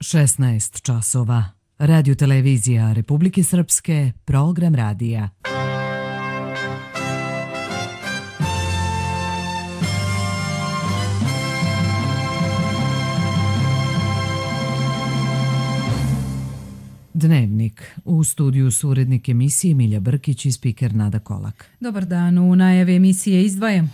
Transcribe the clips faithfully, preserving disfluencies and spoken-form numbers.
šesnaest časova. Radio televizija Republike Srpske, program radija. Dnevnik. U studiju su urednik emisije Milja Brkić i spiker Nada Kolak. Dobar dan, u najavi emisije izdvajamo.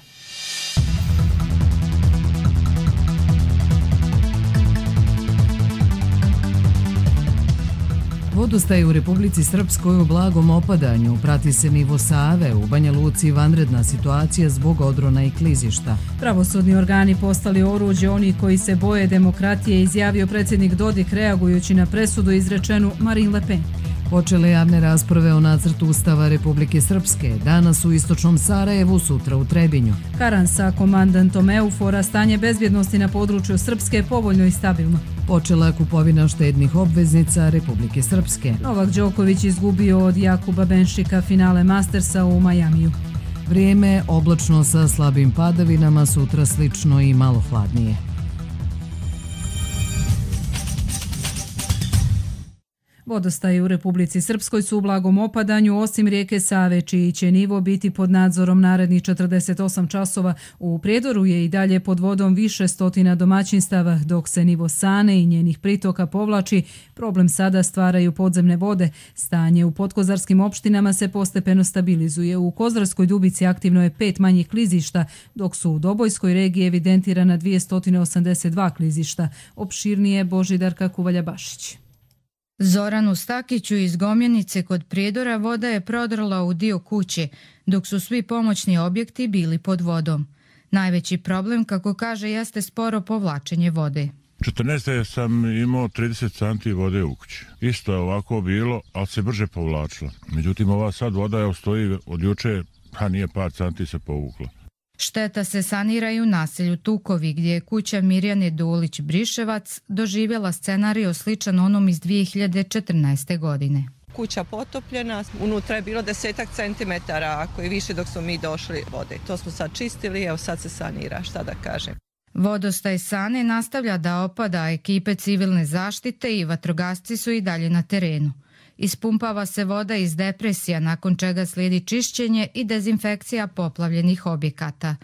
Vodostaj u Republici Srpskoj u blagom opadanju, prati se nivo Save, u Banja Luci vanredna situacija zbog odrona i klizišta. Pravosudni organi postali oruđe oni koji se boje demokratije, izjavio predsjednik Dodik reagujući na presudu izrečenu Marine Le Pen. Počele javne rasprave o nacrtu Ustava Republike Srpske, danas u istočnom Sarajevu, sutra u Trebinju. Karan sa komandantom Eufora, stanje bezbjednosti na području Srpske je povoljno i stabilno. Počela kupovina štednih obveznica Republike Srpske. Novak Đoković izgubio od Jakuba Benšika finale Mastersa u Majamiju. Vrijeme oblačno sa slabim padavinama, sutra slično i malo hladnije. Vodostaji u Republici Srpskoj su u blagom opadanju, osim rijeke Save, čiji će nivo biti pod nadzorom narednih četrdeset osam časova. U Prijedoru je i dalje pod vodom više stotina domaćinstava, dok se nivo Sane i njenih pritoka povlači. Problem sada stvaraju podzemne vode. Stanje u podkozarskim opštinama se postepeno stabilizuje. U Kozarskoj Dubici aktivno je pet manjih klizišta, dok su u Dobojskoj regiji evidentirana dvjesto osamdeset dva klizišta. Opširnije Božidarka Kuvalja-Bašić. Zoranu Stakiću iz Gomjenice kod Prijedora voda je prodrla u dio kuće, dok su svi pomoćni objekti bili pod vodom. Najveći problem, kako kaže, jeste sporo povlačenje vode. četrnaeste sam imao trideset santi vode u kući. Isto je ovako bilo, ali se brže povlačila. Međutim, ova sad voda je stoji od juče, a nije par santi se povukla. Šteta se sanira i u naselju Tukovi, gdje je kuća Mirjane Dulić-Briševac doživjela scenarij sličan onom iz dvije hiljade četrnaeste. godine. Kuća potopljena, unutra je bilo desetak centimetara, ako i više dok smo mi došli vode. To smo sad čistili, evo sad se sanira, šta da kažem. Vodostaj Sane nastavlja da opada, ekipe civilne zaštite i vatrogasci su i dalje na terenu. Ispumpava se voda iz depresija, nakon čega slijedi čišćenje i dezinfekcija poplavljenih objekata.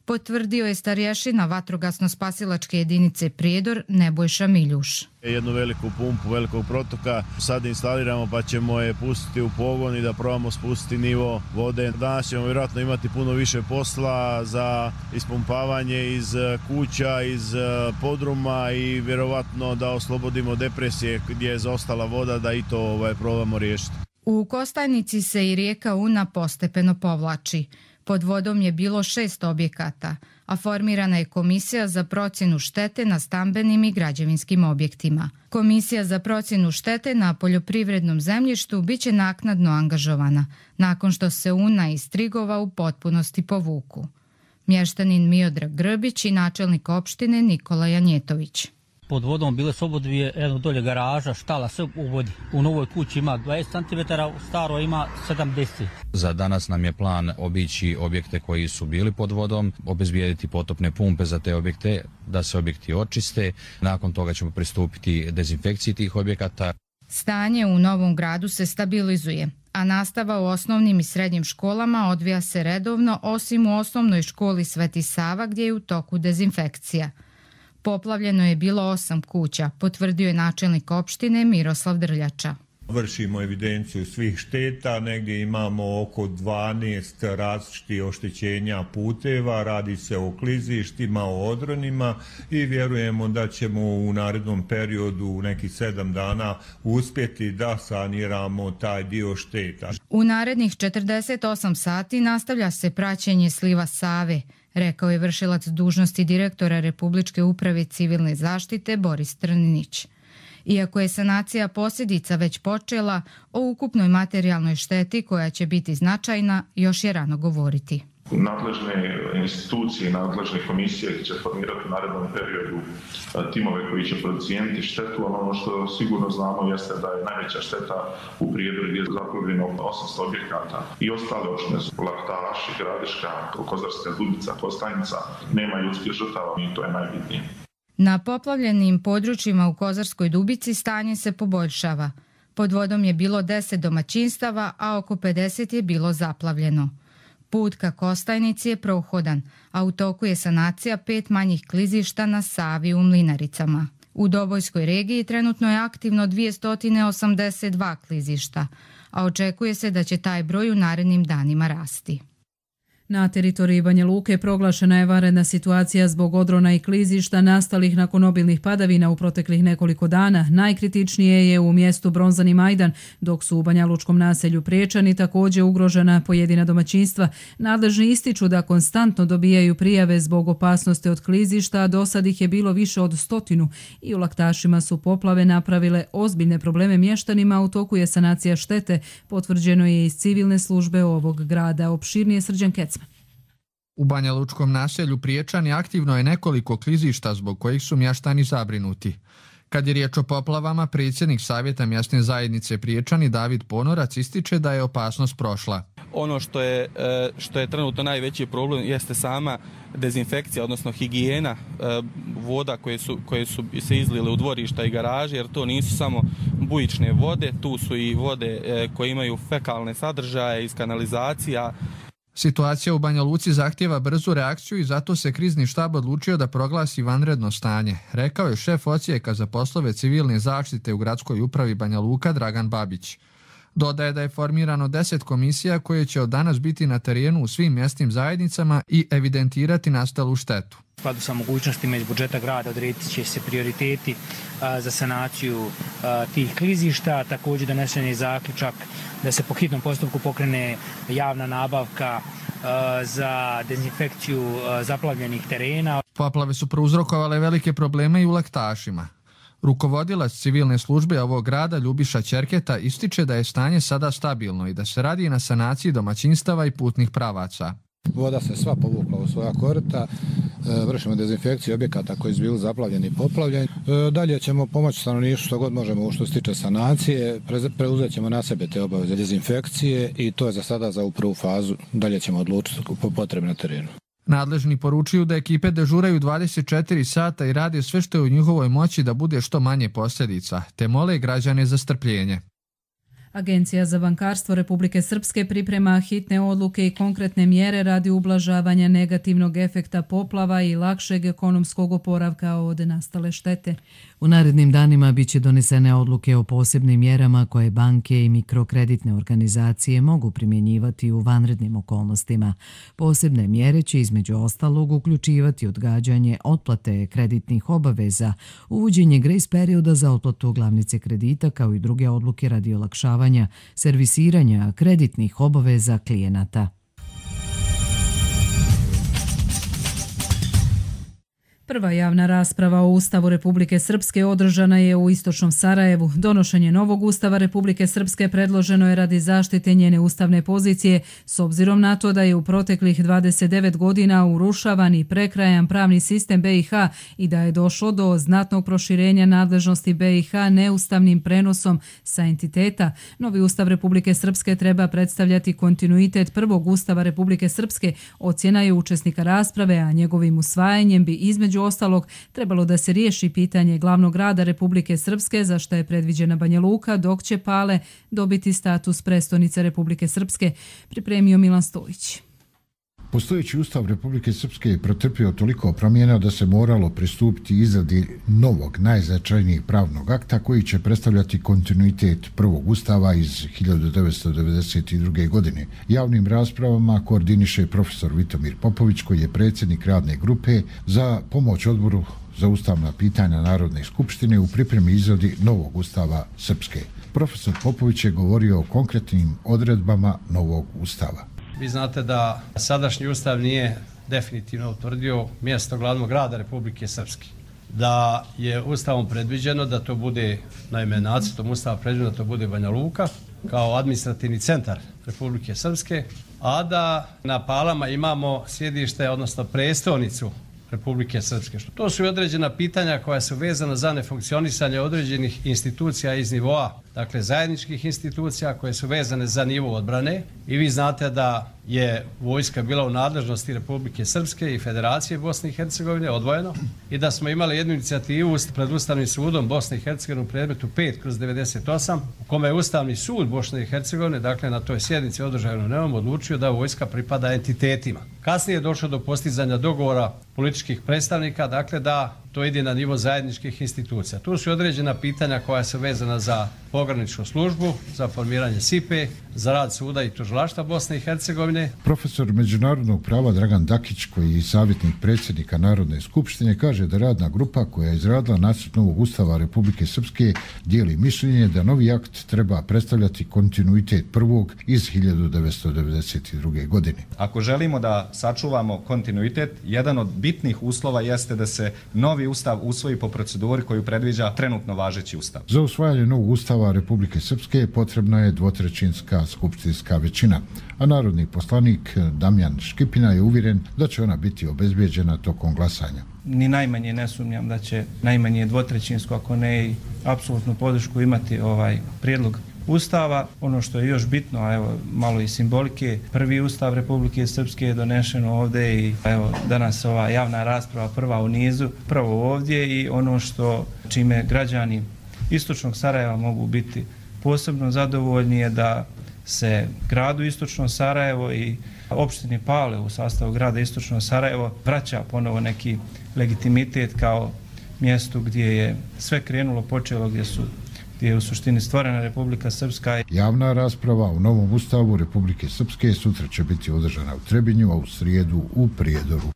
Potvrdio je starješina vatrogasno-spasilačke jedinice Prijedor Nebojša Miljuš. Jednu veliku pumpu velikog protoka sad instaliramo pa ćemo je pustiti u pogon i da probamo spustiti nivo vode. Danas ćemo vjerojatno imati puno više posla za ispumpavanje iz kuća, iz podruma i vjerovatno da oslobodimo depresije gdje je zaostala voda, da i to ovaj, probamo riješiti. U Kostajnici se i rijeka Una postepeno povlači. Pod vodom je bilo šest objekata, a formirana je komisija za procjenu štete na stambenim i građevinskim objektima. Komisija za procjenu štete na poljoprivrednom zemljištu biće naknadno angažovana, nakon što se Una iz Trigova u potpunosti povuku. Mještanin Miodrag Grbić i načelnik opštine Nikola Janjetović. Pod vodom bile su obodvije, jedno dolje garaža, štala sve u vodi. U novoj kući ima dvadeset centimetara, u staroj ima sedamdeset. Za danas nam je plan obići objekte koji su bili pod vodom, obezbijediti potopne pumpe za te objekte, da se objekti očiste. Nakon toga ćemo pristupiti dezinfekciji tih objekata. Stanje u Novom Gradu se stabilizuje, a nastava u osnovnim i srednjim školama odvija se redovno, osim u osnovnoj školi Sveti Sava gdje je u toku dezinfekcija. Poplavljeno je bilo osam kuća, potvrdio je načelnik opštine Miroslav Drljača. Vršimo evidenciju svih šteta, negdje imamo oko dvanaest različitih oštećenja puteva, radi se o klizištima, o odronima i vjerujemo da ćemo u narednom periodu, u nekih sedam dana, uspjeti da saniramo taj dio šteta. U narednih četrdeset osam sati nastavlja se praćenje sliva Save, rekao je vršilac dužnosti direktora Republičke uprave civilne zaštite Boris Trninić. Iako je sanacija posljedica već počela, o ukupnoj materijalnoj šteti koja će biti značajna još je rano govoriti. Nadležne institucije i nadležne komisije će formirati u narednom periodu timove koji će procijeniti štetu. Ono što sigurno znamo jeste da je najveća šteta u Prijedoru gdje je zaplavljeno osamsto objekata i ostale opštine su Laktaši, Gradiška, Kozarska Dubica, Kostajnica. Nema ljudskih žrtava i to je najbitnije. Na poplavljenim područjima u Kozarskoj Dubici stanje se poboljšava. Pod vodom je bilo deset domaćinstava, a oko pedeset je bilo zaplavljeno. Put ka Kostajnici je prohodan, a u toku je sanacija pet manjih klizišta na Savi u Mlinaricama. U Dobojskoj regiji trenutno je aktivno dvjesto osamdeset dva klizišta, a očekuje se da će taj broj u narednim danima rasti. Na teritoriji Banja Luke proglašena je vanredna situacija zbog odrona i klizišta nastalih nakon obilnih padavina u proteklih nekoliko dana. Najkritičnije je u mjestu Bronzani Majdan, dok su u banjalučkom naselju Priječani također ugrožena pojedina domaćinstva. Nadležni ističu da konstantno dobijaju prijave zbog opasnosti od klizišta, a do sad ih je bilo više od stotinu i u Laktašima su poplave napravile ozbiljne probleme mještanima. U toku je sanacija štete, potvrđeno je iz civilne službe ovog grada. Opširnije Srđan Kecman. U banjalučkom naselju Priječani aktivno je nekoliko klizišta zbog kojih su mještani zabrinuti. Kad je riječ o poplavama, predsjednik Savjeta mjesne zajednice Priječani David Ponorac ističe da je opasnost prošla. Ono što je, što je trenutno najveći problem jeste sama dezinfekcija, odnosno higijena voda koje su, koje su se izlile u dvorišta i garaže, jer to nisu samo bujične vode, tu su i vode koje imaju fekalne sadržaje iz kanalizacija. Situacija u Banja Luci zahtjeva brzu reakciju i zato se krizni štab odlučio da proglasi vanredno stanje, rekao je šef odsjeka za poslove civilne zaštite u gradskoj upravi Banja Luka Dragan Babić. Dodaje da je formirano deset komisija koje će od danas biti na terenu u svim mjesnim zajednicama i evidentirati nastalu štetu. U skladu sa mogućnostima iz budžeta grada odrediti će se prioriteti a, za sanaciju a, tih klizišta. Također donesen je zaključak da se po hitnom postupku pokrene javna nabavka a, za dezinfekciju a, zaplavljenih terena. Poplave su prouzrokovale velike probleme i u Laktašima. Rukovodilac civilne službe ovog grada Ljubiša Ćerketa ističe da je stanje sada stabilno i da se radi na sanaciji domaćinstava i putnih pravaca. Voda se sva povukla u svoja korita, vršimo dezinfekciju objekata koji su bili zaplavljeni i poplavljeni. Dalje ćemo pomoći stanovništvu što god možemo što se tiče sanacije, preuzet ćemo na sebe te obaveze dezinfekcije i to je za sada za prvu fazu, dalje ćemo odlučiti po potrebi na terenu. Nadležni poručuju da ekipe dežuraju dvadeset četiri sata i rade sve što je u njihovoj moći da bude što manje posljedica, te mole građane za strpljenje. Agencija za bankarstvo Republike Srpske priprema hitne odluke i konkretne mjere radi ublažavanja negativnog efekta poplava i lakšeg ekonomskog oporavka od nastale štete. U narednim danima biće donesene odluke o posebnim mjerama koje banke i mikrokreditne organizacije mogu primjenjivati u vanrednim okolnostima. Posebne mjere će između ostalog uključivati odgađanje otplate kreditnih obaveza, uvođenje grace perioda za otplatu glavnice kredita kao i druge odluke radi olakšavanja servisiranja kreditnih obaveza klijenata. Prva javna rasprava o Ustavu Republike Srpske održana je u istočnom Sarajevu. Donošenje novog Ustava Republike Srpske predloženo je radi zaštite njene ustavne pozicije, s obzirom na to da je u proteklih dvadeset devet godina urušavan i prekrajan pravni sistem B i H i da je došlo do znatnog proširenja nadležnosti B i H neustavnim prenosom sa entiteta. Novi Ustav Republike Srpske treba predstavljati kontinuitet prvog Ustava Republike Srpske, ocjena je učesnika rasprave, a njegovim usvajanjem bi između ostalog trebalo da se riješi pitanje glavnog grada Republike Srpske, za što je predviđena Banja Luka, dok će Pale dobiti status prestonice Republike Srpske, pripremio Milan Stojić. Postojeći Ustav Republike Srpske je pretrpio toliko promjena da se moralo pristupiti izradi novog, najznačajnijeg pravnog akta koji će predstavljati kontinuitet prvog Ustava iz hiljadu devetsto devedeset druge. godine. Javnim raspravama koordiniše profesor Vitomir Popović, koji je predsjednik radne grupe za pomoć odboru za ustavna pitanja Narodne skupštine u pripremi izradi novog Ustava Srpske. Profesor Popović je govorio o konkretnim odredbama novog Ustava. Vi znate da sadašnji ustav nije definitivno utvrdio mjesto glavnog grada Republike Srpske. Da je ustavom predviđeno da to bude, naime nacrtom ustava predviđeno da to bude Banja Luka kao administrativni centar Republike Srpske, a da na Palama imamo sjedište, odnosno prestonicu Republike Srpske. To su i određena pitanja koja su vezana za nefunkcionisanje određenih institucija iz nivoa dakle zajedničkih institucija koje su vezane za nivo odbrane i vi znate da je vojska bila u nadležnosti Republike Srpske i Federacije Bosne i Hercegovine odvojeno i da smo imali jednu inicijativu pred Ustavnim sudom Bosne i Hercegovine u predmetu pet kroz devedeset osam u kome je Ustavni sud Bosne i Hercegovine, dakle na toj sjednici održanoj u Neum, odlučio da vojska pripada entitetima. Kasnije je došlo do postizanja dogovora političkih predstavnika, dakle da to ide na nivo zajedničkih institucija. Tu su određena pitanja koja su vezana za pograničnu službu, za formiranje S I P E, za rad suda i tužilaštva Bosne i Hercegovine. Profesor međunarodnog prava Dragan Dakić, koji je savjetnik predsjednika Narodne skupštine, kaže da radna grupa koja je izradila nacrt novog ustava Republike Srpske dijeli mišljenje da novi akt treba predstavljati kontinuitet prvog iz hiljadu devetsto devedeset druge. godine. Ako želimo da sačuvamo kontinuitet, jedan od bitnih uslova jeste da se novi ustav usvoji po proceduri koju predviđa trenutno važeći ustav. Za usvajanje novog ustava Republike Srpske potrebna je dvotrećinska skupštinska većina, a narodni poslanik Damjan Škipina je uvjeren da će ona biti obezbijeđena tokom glasanja. Ni najmanje ne sumnjam da će najmanje dvotrećinsko, ako ne i apsolutnu podršku imati ovaj prijedlog Ustava. Ono što je još bitno, a evo malo i simbolike, prvi Ustav Republike Srpske je donešen ovdje i evo danas ova javna rasprava prva u nizu, prvo ovdje i ono što čime građani Istočnog Sarajeva mogu biti posebno zadovoljni je da se gradu Istočno Sarajevo i opštini Pale u sastavu grada Istočno Sarajevo vraća ponovo neki legitimitet kao mjestu gdje je sve krenulo, počelo, gdje su gdje je u suštini stvorena Republika Srpska. Javna rasprava u novom ustavu Republike Srpske sutra će biti održana u Trebinju, a u srijedu u Prijedoru.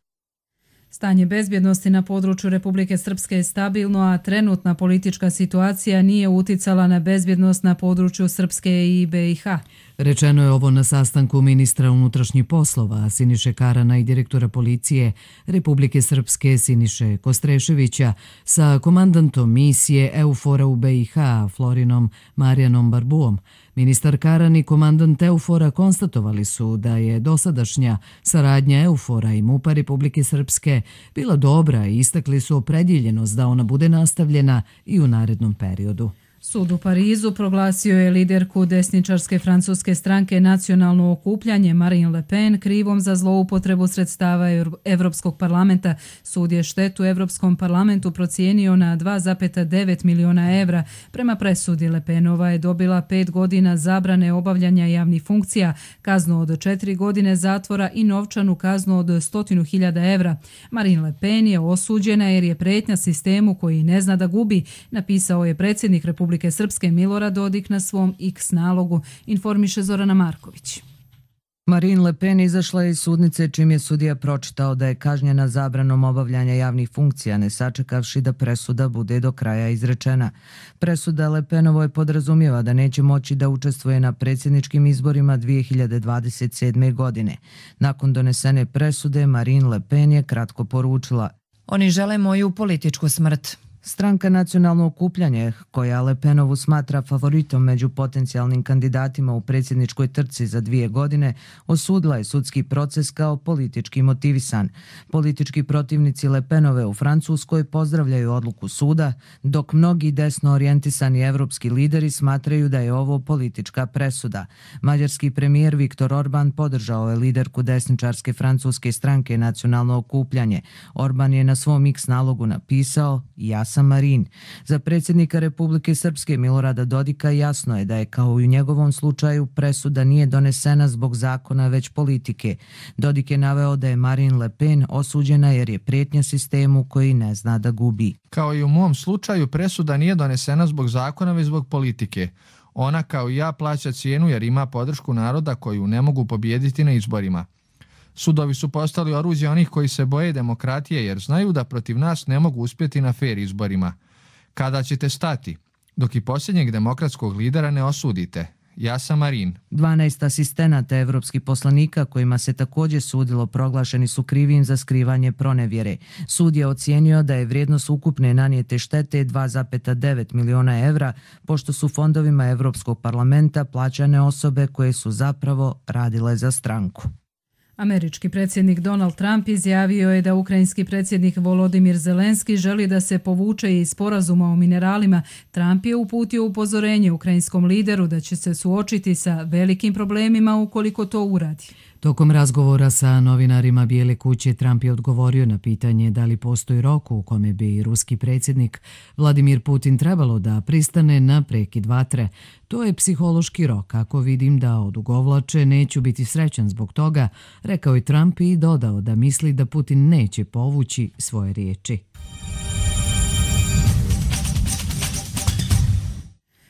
Stanje bezbjednosti na području Republike Srpske je stabilno, a trenutna politička situacija nije uticala na bezbjednost na području Srpske i B i H. Rečeno je ovo na sastanku ministra unutrašnjih poslova Siniše Karana i direktora policije Republike Srpske Siniše Kostreševića sa komandantom misije EUFOR-a u B i H Florinom Marijanom Barbuom. Ministar Karan i komandant EUFOR-a konstatovali su da je dosadašnja saradnja EUFOR-a i MUP-a Republike Srpske bila dobra i istakli su opredjeljenost da ona bude nastavljena i u narednom periodu. Sud u Parizu proglasio je liderku desničarske francuske stranke Nacionalno okupljanje Marine Le Pen krivom za zloupotrebu sredstava Evropskog parlamenta. Sud je štetu Evropskom parlamentu procijenio na dva zarez devet miliona evra. Prema presudi Le Penova je dobila pet godina zabrane obavljanja javnih funkcija, kaznu od četiri godine zatvora i novčanu kaznu od stotinu hiljada evra. Marine Le Pen je osuđena jer je pretnja sistemu koji ne zna da gubi, napisao je predsjednik Republike Republike Srpske Milorad Dodik na svom X nalogu, informiše Zorana Marković. Marine Le Pen izašla iz sudnice čim je sudija pročitao da je kažnjena zabranom obavljanja javnih funkcija, ne sačekavši da presuda bude do kraja izrečena. Presuda Le Penovoj podrazumijeva da neće moći da učestvuje na predsjedničkim izborima dvije hiljade dvadeset sedme. godine. Nakon donesene presude, Marine Le Pen je kratko poručila: Oni žele moju političku smrt. Stranka Nacionalno okupljanje, koja Le Penovu smatra favoritom među potencijalnim kandidatima u predsjedničkoj trci za dvije godine, osudila je sudski proces kao politički motivisan. Politički protivnici Le Penove u Francuskoj pozdravljaju odluku suda, dok mnogi desno orijentisani evropski lideri smatraju da je ovo politička presuda. Mađarski premijer Viktor Orban podržao je liderku desničarske francuske stranke Nacionalno okupljanje. Orban je na svom X nalogu napisao: ja sam Marin. Za predsjednika Republike Srpske Milorada Dodika jasno je da je, kao i u njegovom slučaju, presuda nije donesena zbog zakona već politike. Dodik je naveo da je Marine Le Pen osuđena jer je pretnja sistemu koji ne zna da gubi. Kao i u mom slučaju, presuda nije donesena zbog zakona već zbog politike. Ona, kao i ja, plaća cijenu jer ima podršku naroda koju ne mogu pobijediti na izborima. Sudovi su postali oruđe onih koji se boje demokratije jer znaju da protiv nas ne mogu uspjeti na fer izborima. Kada ćete stati? Dok i posljednjeg demokratskog lidera ne osudite. Ja sam Marin. dvanaest asistenata evropskih poslanika kojima se također sudilo proglašeni su krivim za skrivanje pronevjere. Sud je ocijenio da je vrijednost ukupne nanijete štete dva zarez devet miliona evra, pošto su fondovima Evropskog parlamenta plaćane osobe koje su zapravo radile za stranku. Američki predsjednik Donald Trump izjavio je da ukrajinski predsjednik Volodimir Zelenski želi da se povuče iz sporazuma o mineralima. Trump je uputio upozorenje ukrajinskom lideru da će se suočiti sa velikim problemima ukoliko to uradi. Tokom razgovora sa novinarima Bijele kuće Trump je odgovorio na pitanje da li postoji rok u kome bi ruski predsjednik Vladimir Putin trebalo da pristane na prekid vatre. To je psihološki rok. Ako vidim da odugovlače, neću biti srećan zbog toga, rekao je Trump i dodao da misli da Putin neće povući svoje riječi.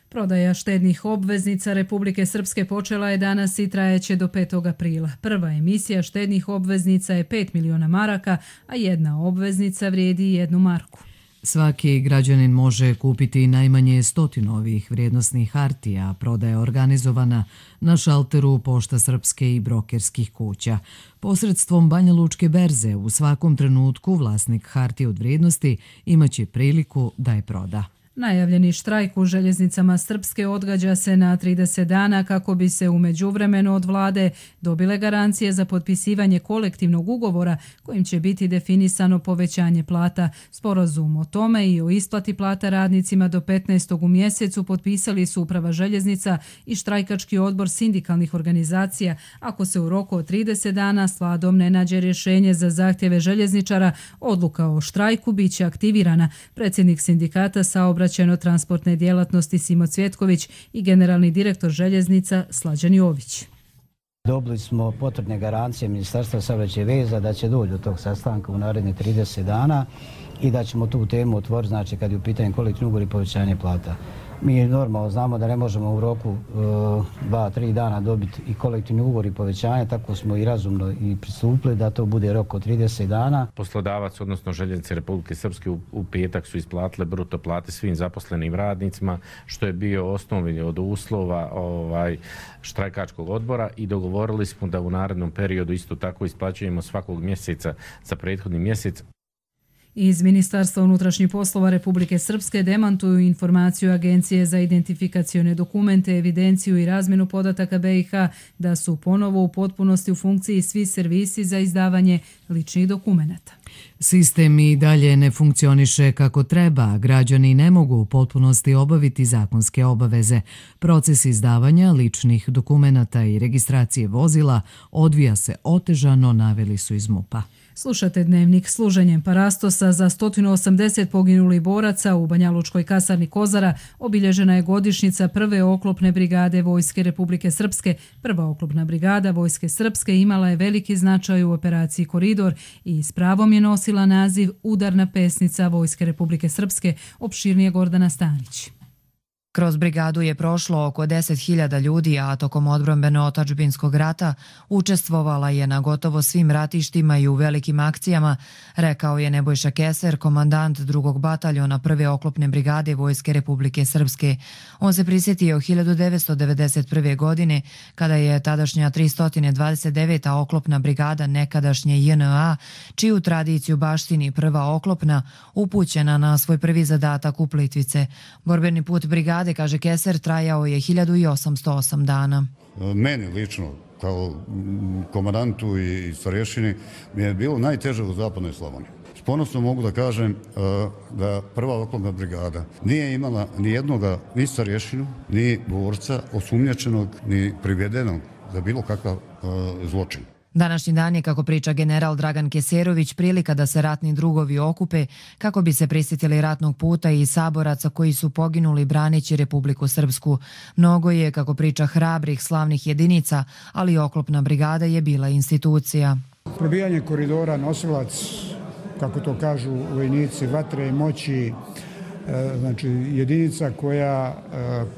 Prodaja štednih obveznica Republike Srpske počela je danas i trajeće do petog aprila. Prva emisija štednih obveznica je pet miliona maraka, a jedna obveznica vrijedi jednu marku. Svaki građanin može kupiti najmanje stotinu ovih vrijednosnih hartija, prodaja organizovana na šalteru Pošta Srpske i brokerskih kuća. Posredstvom Banja Lučke berze u svakom trenutku vlasnik hartije od vrijednosti imaće priliku da je proda. Najavljeni štrajk u željeznicama Srpske odgađa se na trideset dana kako bi se u međuvremenu od vlade dobile garancije za potpisivanje kolektivnog ugovora kojim će biti definisano povećanje plata. Sporazum o tome i o isplati plata radnicima do petnaestog u mjesecu potpisali su Uprava željeznica i štrajkački odbor sindikalnih organizacija. Ako se u roku od trideset dana s vladom ne nađe rješenje za zahtjeve željezničara, odluka o štrajku biće aktivirana. Predsjednik sindikata saobraćajno-transportne djelatnosti Simo Cvjetković i generalni direktor željeznica Slađan Jović. Dobili smo potrebne garancije Ministarstva saobraćaja i veza da će doći do tog sastanka u narednih trideset dana i da ćemo tu temu otvoriti, znači kad je u pitanju kolektivni ugovor i povećanje plata. Mi normalno znamo da ne možemo u roku dva, tri dana dobiti i kolektivni ugovor i povećanje, tako smo i razumno i pristupili da to bude rok od trideset dana. Poslodavac, odnosno željeznice Republike Srpske u, u petak su isplatile bruto plate svim zaposlenim radnicima, što je bio osnovni od uslova ovaj, štrajkačkog odbora i dogovorili smo da u narednom periodu isto tako isplaćujemo svakog mjeseca za prethodni mjesec. Iz Ministarstva unutrašnjih poslova Republike Srpske demantuju informaciju Agencije za identifikacione dokumente, evidenciju i razmjenu podataka B i H da su ponovo u potpunosti u funkciji svi servisi za izdavanje ličnih dokumenata. Sistem i dalje ne funkcioniše kako treba, građani ne mogu u potpunosti obaviti zakonske obaveze. Proces izdavanja ličnih dokumenata i registracije vozila odvija se otežano, naveli su iz MUP-a. Slušate dnevnik služenjem Parastosa. Za sto osamdeset poginulih boraca u Banjalučkoj kasarni Kozara obilježena je godišnjica prve oklopne brigade Vojske Republike Srpske. Prva oklopna brigada Vojske Srpske imala je veliki značaj u operaciji Koridor i s pravom je nosila naziv Udarna pesnica Vojske Republike Srpske, opširnije Gordana Stanić. Kroz brigadu je prošlo oko deset hiljada ljudi, a tokom odbrambeno-otadžbinskog rata učestvovala je na gotovo svim ratištima i u velikim akcijama, rekao je Nebojša Keser, komandant drugog bataljona prve oklopne brigade Vojske Republike Srpske. On se prisjetio hiljadu devetsto devedeset prve. godine, kada je tadašnja tristo dvadeset deveta oklopna brigada nekadašnje J N A, čiju tradiciju baštini prva oklopna, upućena na svoj prvi zadatak u Plitvice. Borbeni put brigade, kaže Keser, trajao je hiljadu osamsto osam dana. Meni lično, kao komandantu i starješini, mi je bilo najteže u zapadnoj Slavoniji. S ponosno mogu da kažem da prva oklopna brigada nije imala ni jednoga, ni starješinu, ni borca osumnjačenog, ni privedenog za bilo kakav zločin. Današnji dan je, kako priča general Dragan Keserović, prilika da se ratni drugovi okupe kako bi se prisjetili ratnog puta i saboraca koji su poginuli braneći Republiku Srpsku. Mnogo je, kako priča, hrabrih, slavnih jedinica, ali oklopna brigada je bila institucija. Probijanje koridora, nosilac, kako to kažu vojnici, vatre i moći, znači jedinica koja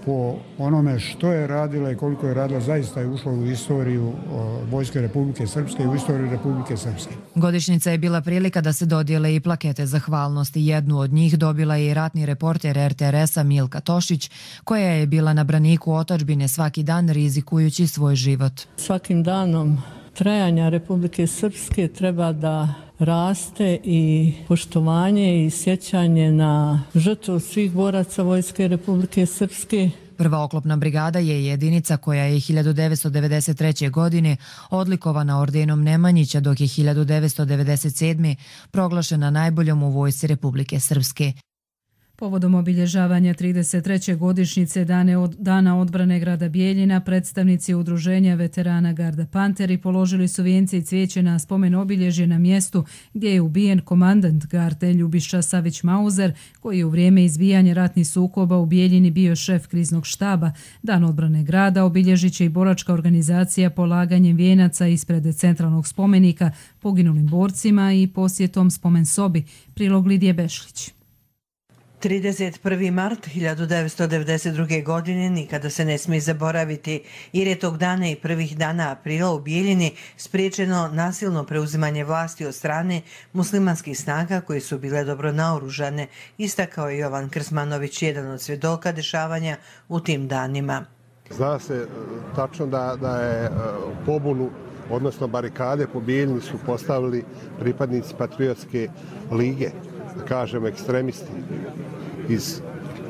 po onome što je radila i koliko je radila zaista je ušla u istoriju Vojske Republike Srpske i u istoriju Republike Srpske. Godišnjica je bila prilika da se dodijele i plakete zahvalnosti. Jednu od njih dobila je i ratni reporter R T R S-a Milka Tošić, koja je bila na braniku otadžbine svaki dan rizikujući svoj život. Svakim danom trajanja Republike Srpske treba da raste i poštovanje i sjećanje na žrtvu svih boraca Vojske Republike Srpske Prva oklopna brigada je jedinica koja je hiljadu devetsto devedeset treće. godine odlikovana ordenom Nemanjića, dok je hiljadu devetsto devedeset sedme. proglašena najboljom u vojsci Republike Srpske. Povodom obilježavanja trideset treće godišnjice Dana odbrane grada Bijeljina, predstavnici udruženja veterana Garda Panteri položili su vijence i cvijeće na spomen obilježje na mjestu gdje je ubijen komandant garde Ljubiša Savić Mauzer, koji je u vrijeme izbijanja ratnih sukoba u Bijeljini bio šef kriznog štaba. Dan odbrane grada obilježit će i boračka organizacija polaganjem vijenaca ispred centralnog spomenika poginulim borcima i posjetom spomen sobi. Prilog Lidije Bešlić. trideset prvi mart hiljadu devetsto devedeset druge. godine nikada se ne smije zaboraviti, jer je tog dana i prvih dana aprila u Bijeljini spriječeno nasilno preuzimanje vlasti od strane muslimanskih snaga koji su bile dobro naoružane, istakao je Jovan Krsmanović, jedan od svjedoka dešavanja u tim danima. Zna se tačno da, da je pobunu, odnosno barikade po Bijeljini su postavili pripadnici Patriotske lige, da kažem ekstremisti iz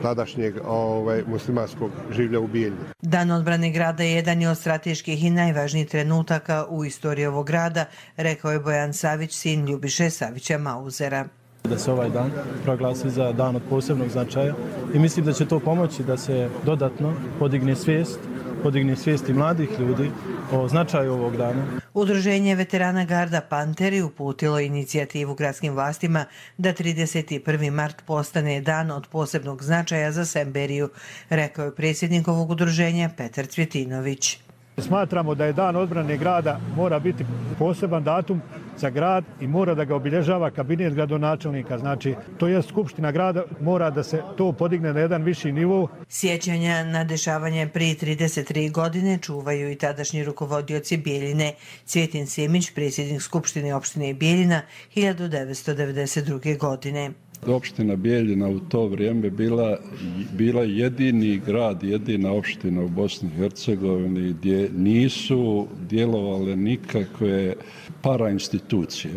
tadašnjeg ovaj, muslimanskog življa u Bijeljini. Dan odbrane grada jedan je od strateških i najvažnijih trenutaka u istoriji ovog grada, rekao je Bojan Savić, sin Ljubiše Savića Mauzera. Da se ovaj dan proglasi za dan od posebnog značaja i mislim da će to pomoći da se dodatno podigne svijest, podigne svijest i mladih ljudi o značaju ovog dana. Udruženje veterana Garda Panteri uputilo inicijativu gradskim vlastima da trideset prvi. mart postane dan od posebnog značaja za Semberiju, rekao je predsjednik ovog udruženja Petar Cvjetinović. Smatramo da je dan odbrane grada mora biti poseban datum za grad i mora da ga obilježava kabinet gradonačelnika. Znači, to je skupština grada, mora da se to podigne na jedan viši nivo. Sjećanja na dešavanje prije trideset tri. godine čuvaju i tadašnji rukovodioci Bijeljine. Cvjetin Simić, predsjednik skupštine opštine Bijeljina, hiljadu devetsto devedeset druge. godine. Opština Bijeljina u to vrijeme bila, bila jedini grad, jedina opština u Bosni i Hercegovini gdje nisu djelovale nikakve parainstitucije.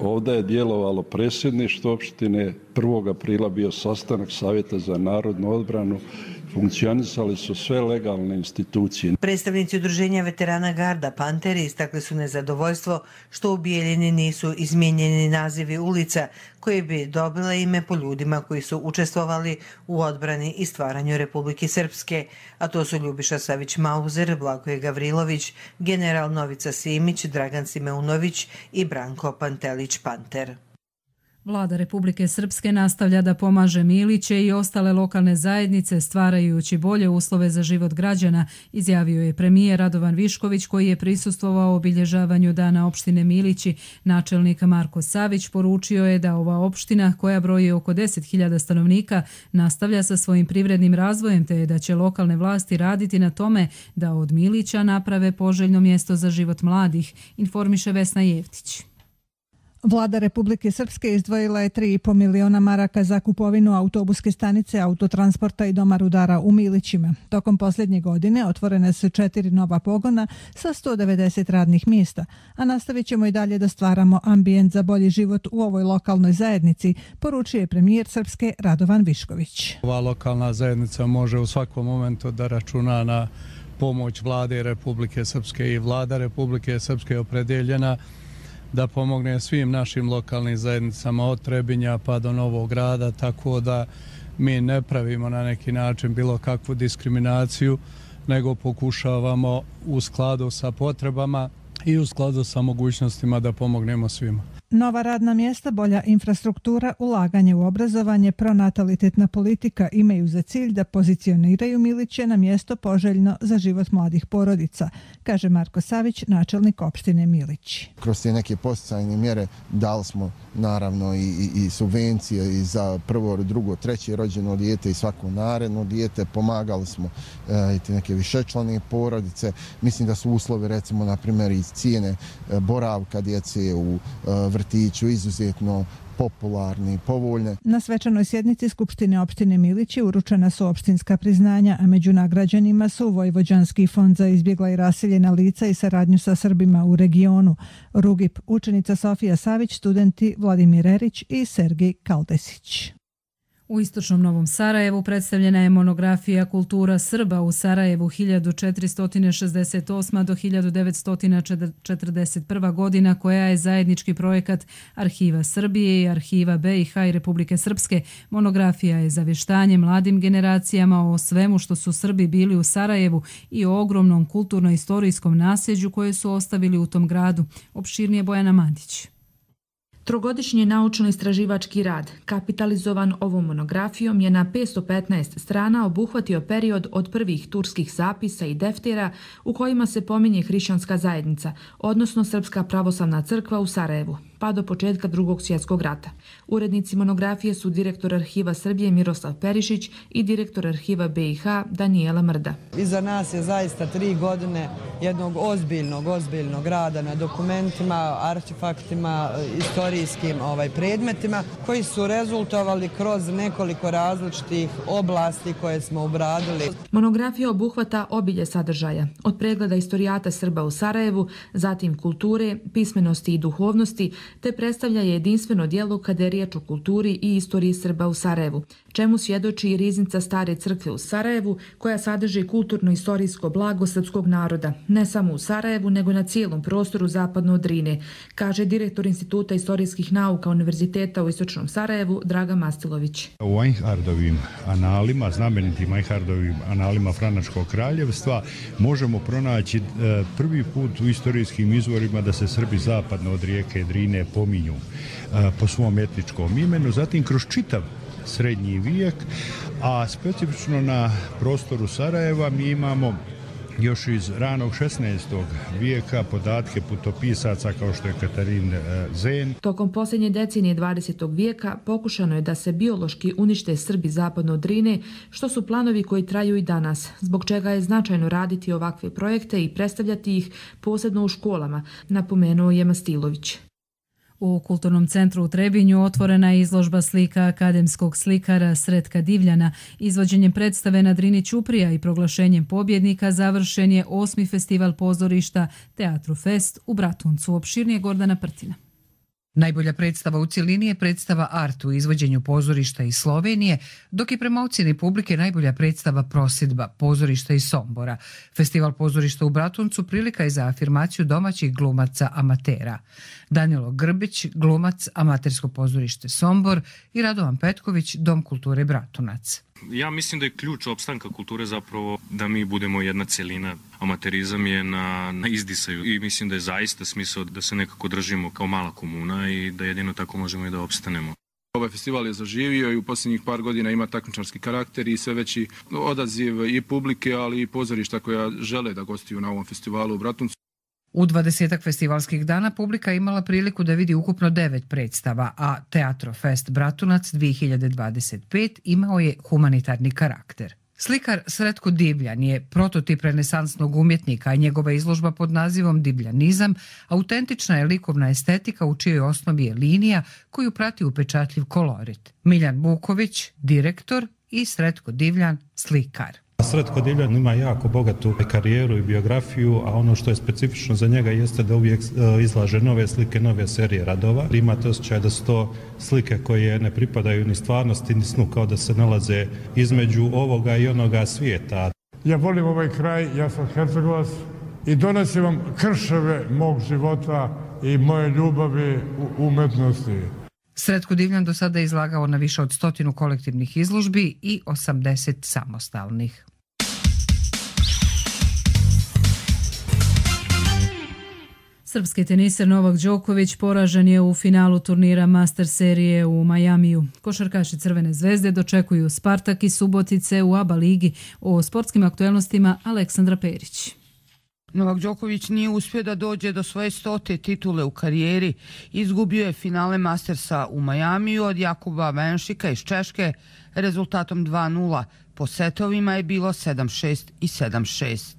Ovdje je djelovalo predsjedništvo opštine, prvog aprila bio sastanak Savjeta za narodnu odbranu, funkcionisali su sve legalne institucije. Predstavnici udruženja veterana Garda Panteri istakli su nezadovoljstvo što u Bijeljini nisu izmijenjeni nazivi ulica koje bi dobile ime po ljudima koji su učestvovali u odbrani i stvaranju Republike Srpske, a to su Ljubiša Savić Mauzer, Blagoje Gavrilović, general Novica Simić, Dragan Simeunović i Branko Pantelić Panter. Vlada Republike Srpske nastavlja da pomaže Miliće i ostale lokalne zajednice stvarajući bolje uslove za život građana, izjavio je premijer Radovan Višković koji je prisustvovao obilježavanju dana opštine Milići. Načelnik Marko Savić poručio je da ova opština, koja broji oko deset hiljada stanovnika, nastavlja sa svojim privrednim razvojem te da će lokalne vlasti raditi na tome da od Milića naprave poželjno mjesto za život mladih, informiše Vesna Jevtić. Vlada Republike Srpske izdvojila je tri i po miliona maraka za kupovinu autobuske stanice, autotransporta i doma rudara u Milićima. Tokom posljednje godine otvorene su četiri nova pogona sa sto devedeset radnih mjesta, a nastavit ćemo i dalje da stvaramo ambijent za bolji život u ovoj lokalnoj zajednici, poručuje premijer Srpske Radovan Višković. Ova lokalna zajednica može u svakom momentu da računa na pomoć Vlade Republike Srpske i Vlada Republike Srpske je opredeljena da pomogne svim našim lokalnim zajednicama od Trebinja pa do Novog Grada, tako da mi ne pravimo na neki način bilo kakvu diskriminaciju, nego pokušavamo u skladu sa potrebama i u skladu sa mogućnostima da pomognemo svima. Nova radna mjesta, bolja infrastruktura, ulaganje u obrazovanje, pronatalitetna politika imaju za cilj da pozicioniraju Miliće na mjesto poželjno za život mladih porodica, kaže Marko Savić, načelnik opštine Milić. Kroz te neke posticajne mjere dali smo naravno i, i, i subvencije i za prvo, drugo, treće rođeno dijete i svako naredno dijete. Pomagali smo e, i te neke višečlane porodice. Mislim da su uslovi, recimo, na primjer, iz cijene e, boravka djece u e, vrtiću izuzetno popularni i povoljne. Na svečanoj sjednici Skupštine opštine Milići uručena su opštinska priznanja, a među nagrađenima su Vojvođanski fond za izbjegla i raseljena lica i saradnju sa Srbima u regionu, Rugip, učenica Sofija Savić, studenti Vladimir Erić i Sergej Kaldesić. U istočnom Novom Sarajevu predstavljena je monografija Kultura Srba u Sarajevu hiljadu četiristo šezdeset osma do hiljadu devetsto četrdeset prva godina, koja je zajednički projekat Arhiva Srbije i Arhiva be i ha i Republike Srpske. Monografija je zavještanje mladim generacijama o svemu što su Srbi bili u Sarajevu i o ogromnom kulturno-istorijskom nasljeđu koje su ostavili u tom gradu. Opširnije Bojana Mandić. Trogodišnji naučno-istraživački rad, kapitalizovan ovom monografijom, je na petsto petnaest strana obuhvatio period od prvih turskih zapisa i deftera u kojima se pominje hrišćanska zajednica, odnosno Srpska pravoslavna crkva u Sarajevu, pa do početka Drugog svjetskog rata. Urednici monografije su direktor Arhiva Srbije Miroslav Perišić i direktor Arhiva be i ha Danijela Mrda. Iza nas je zaista tri godine jednog ozbiljnog, ozbiljnog rada na dokumentima, artefaktima, istorijskim ovaj, predmetima koji su rezultovali kroz nekoliko različitih oblasti koje smo obradili. Monografija obuhvata obilje sadržaja, od pregleda istorijata Srba u Sarajevu, zatim kulture, pismenosti i duhovnosti, te predstavlja jedinstveno djelo kada je riječ o kulturi i istoriji Srba u Sarajevu, čemu svjedoči i riznica Stare crkve u Sarajevu, koja sadrži kulturno-istorijsko blago srpskog naroda, ne samo u Sarajevu, nego na cijelom prostoru zapadno od Drine, kaže direktor Instituta istorijskih nauka Univerziteta u Istočnom Sarajevu Draga Mastilović. U Einhardovim analima, znamenitim Einhardovim analima Franačkog kraljevstva, možemo pronaći prvi put u istorijskim izvorima da se Srbi zapadno od rijeke Drine pominju po svom etničkom imenu, zatim kroz čitav srednji vijek, a specifično na prostoru Sarajeva mi imamo još iz ranog šesnaestog vijeka podatke putopisaca kao što je Katarin Zen. Tokom posljednje decenije dvadesetog vijeka pokušano je da se biološki unište Srbi zapadno od Drine, što su planovi koji traju i danas, zbog čega je značajno raditi ovakve projekte i predstavljati ih posebno u školama, napomenuo je Mastilović. U Kulturnom centru u Trebinju otvorena je izložba slika akademskog slikara Sretka Divljana. Izvođenjem predstave na Drini Ćuprija i proglašenjem pobjednika završen je osmi festival pozorišta Teatru Fest u Bratuncu. Opširnije Gordana Prtina. Najbolja predstava u cjelini je predstava Art u izvođenju pozorišta iz Slovenije, dok je prema ocjeni publike najbolja predstava Prosidba, pozorišta iz Sombora. Festival pozorišta u Bratuncu prilika je za afirmaciju domaćih glumaca amatera. Danilo Grbić, glumac, amatersko pozorište Sombor, i Radovan Petković, Dom kulture Bratunac. Ja mislim da je ključ opstanka kulture zapravo da mi budemo jedna celina. Amaterizam je na, na izdisaju i mislim da je zaista smisao da se nekako držimo kao mala komuna i da jedino tako možemo i da opstanemo. Ovaj festival je zaživio i u posljednjih par godina ima takmičarski karakter i sve veći odaziv i publike, ali i pozorišta koja žele da gostuju na ovom festivalu u Bratuncu. U dvadesetak festivalskih dana publika imala priliku da vidi ukupno devet predstava, a Teatro Fest Bratunac dvije hiljade dvadeset pet imao je humanitarni karakter. Slikar Sretko Divljan je prototip renesansnog umjetnika, a njegova izložba pod nazivom Divljanizam autentična je likovna estetika u čijoj osnovi je linija koju prati upečatljiv kolorit. Miljan Buković, direktor, i Sretko Divljan, slikar. Sretko Divljan ima jako bogatu karijeru i biografiju, a ono što je specifično za njega jeste da uvijek izlaže nove slike, nove serije radova. Imate osjećaj da su to slike koje ne pripadaju ni stvarnosti, ni snu, kao da se nalaze između ovoga i onoga svijeta. Ja volim ovaj kraj, ja sam Hercegovac i donosim vam krševe mog života i moje ljubavi u umetnosti. Sretko Divljan do sada je izlagao na više od stotinu kolektivnih izložbi i osamdeset samostalnih. Srpski teniser Novak Đoković poražen je u finalu turnira Master serije u Majamiju. Košarkaši Crvene zvezde dočekuju Spartak i Subotice u ABA ligi. O sportskim aktuelnostima Aleksandra Perić. Novak Đoković nije uspio da dođe do svoje stote titule u karijeri. Izgubio je finale Mastersa u Majamiju od Jakuba Venšika iz Češke rezultatom dva nula. Po setovima je bilo sedam šest i sedam šest.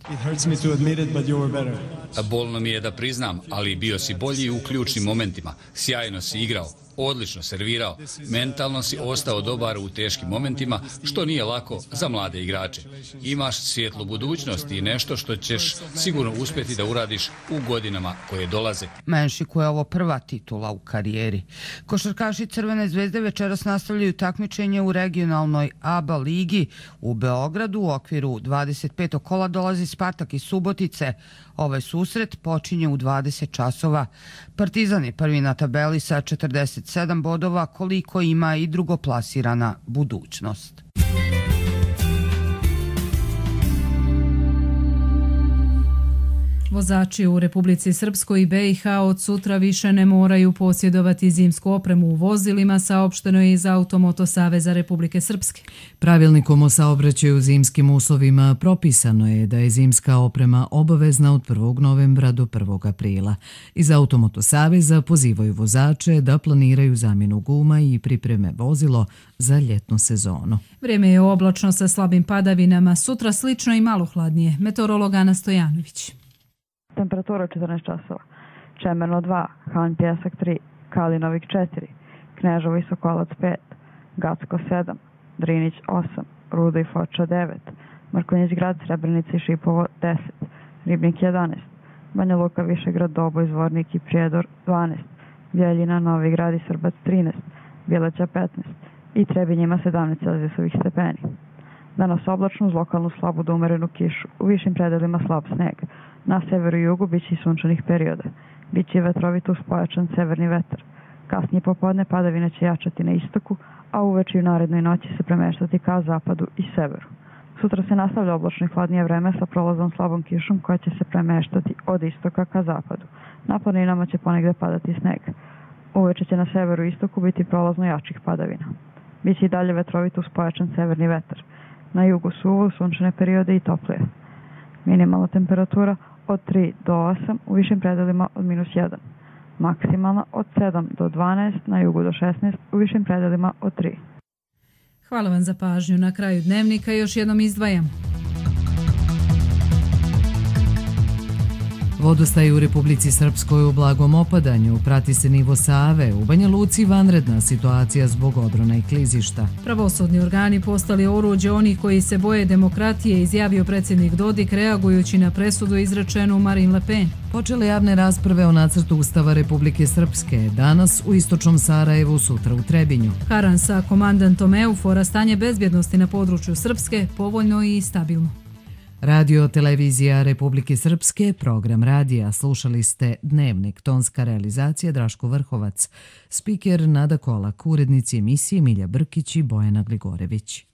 Bolno mi je da priznam, ali bio si bolji u ključnim momentima. Sjajno si igrao. odlično servirao. Mentalno si ostao dobar u teškim momentima, što nije lako za mlade igrače. Imaš svjetlu budućnost i nešto što ćeš sigurno uspjeti da uradiš u godinama koje dolaze. Menšiku je ovo prva titula u karijeri. Košarkaši Crvene zvezde večeras nastavljaju takmičenje u regionalnoj A B A ligi u Beogradu. U okviru dvadeset petog kola dolazi Spartak iz Subotice. Ovaj susret počinje u dvadeset časova. Partizan je prvi na tabeli sa četrdeset sedam bodova, koliko ima i drugoplasirana Budućnost. Vozači u Republici Srpskoj i B i H od sutra više ne moraju posjedovati zimsku opremu u vozilima, saopšteno je iz Automoto Saveza Republike Srpske. Pravilnikom o saobraćaju u zimskim uslovima propisano je da je zimska oprema obavezna od prvog novembra do prvog aprila. Iz Automoto Saveza pozivaju vozače da planiraju zamjenu guma i pripreme vozilo za ljetnu sezonu. Vrijeme je oblačno sa slabim padavinama, sutra slično i malo hladnije. Meteorolog Ana Stojanović. Temperatura četrnaest časova. Čemerno dva, Han Pjesak tri, Kalinovik četiri, Kneževo i Sokolac pet, Gacko sedam, Drinić osam, Rudo i Foča devet, Mrkonjić Grad, Srebrenica i Šipovo deset, Ribnik jedanaest, Banja Luka, Višegrad, Doboj, Zvornik i Prijedor dvanaest, Bjeljina, Novi Grad i Srbac trinaest, Bjeleća petnaest i Trebinjima sedamnaest celzijusovih stepeni. Danas oblačno uz lokalnu slabu do umerenu kišu, u višim predelima slab sneg. Na severu i jugu biće i sunčanih perioda. Biće i vetrovito uz pojačan severni vetar. Kasnije popodne padavine će jačati na istoku, a uveče i u narednoj noći se premeštati ka zapadu i severu. Sutra se nastavlja oblačno i hladnije vreme sa prolazom slabom kišom koja će se premeštati od istoka ka zapadu. Na planinama će ponegde padati sneg. Uveče će na severu i istoku biti prolazno jačih padavina. Biće i dalje vetrovito uz pojačan severni vetar. Na jugu suvo, sunčane periode i toplije. Minimalna temperatura od tri do osam, u višim predelima od minus jedan. Maksimalna od sedam do dvanaest, na jugu do šesnaest, u višim predelima od tri. Hvala vam za pažnju. Na kraju dnevnika još jednom izdvajam. Vodostaj u Republici Srpskoj u blagom opadanju, prati se nivo Save, u Banja Luci vanredna situacija zbog odrona i klizišta. Pravosudni organi postali oruđe onih koji se boje demokratije, izjavio predsjednik Dodik reagujući na presudu izrečenu Marine Le Pen. Počele javne rasprave o nacrtu Ustava Republike Srpske, danas u istočnom Sarajevu, sutra u Trebinju. Haran sa komandantom Eufora, stanje bezbjednosti na području Srpske povoljno i stabilno. Radio Televizija Republike Srpske, program radija. Slušali ste Dnevnik, tonska realizacija Draško Vrhovac, spiker Nada Kolak, urednici emisije Milja Brkić i Bojana Gligorević.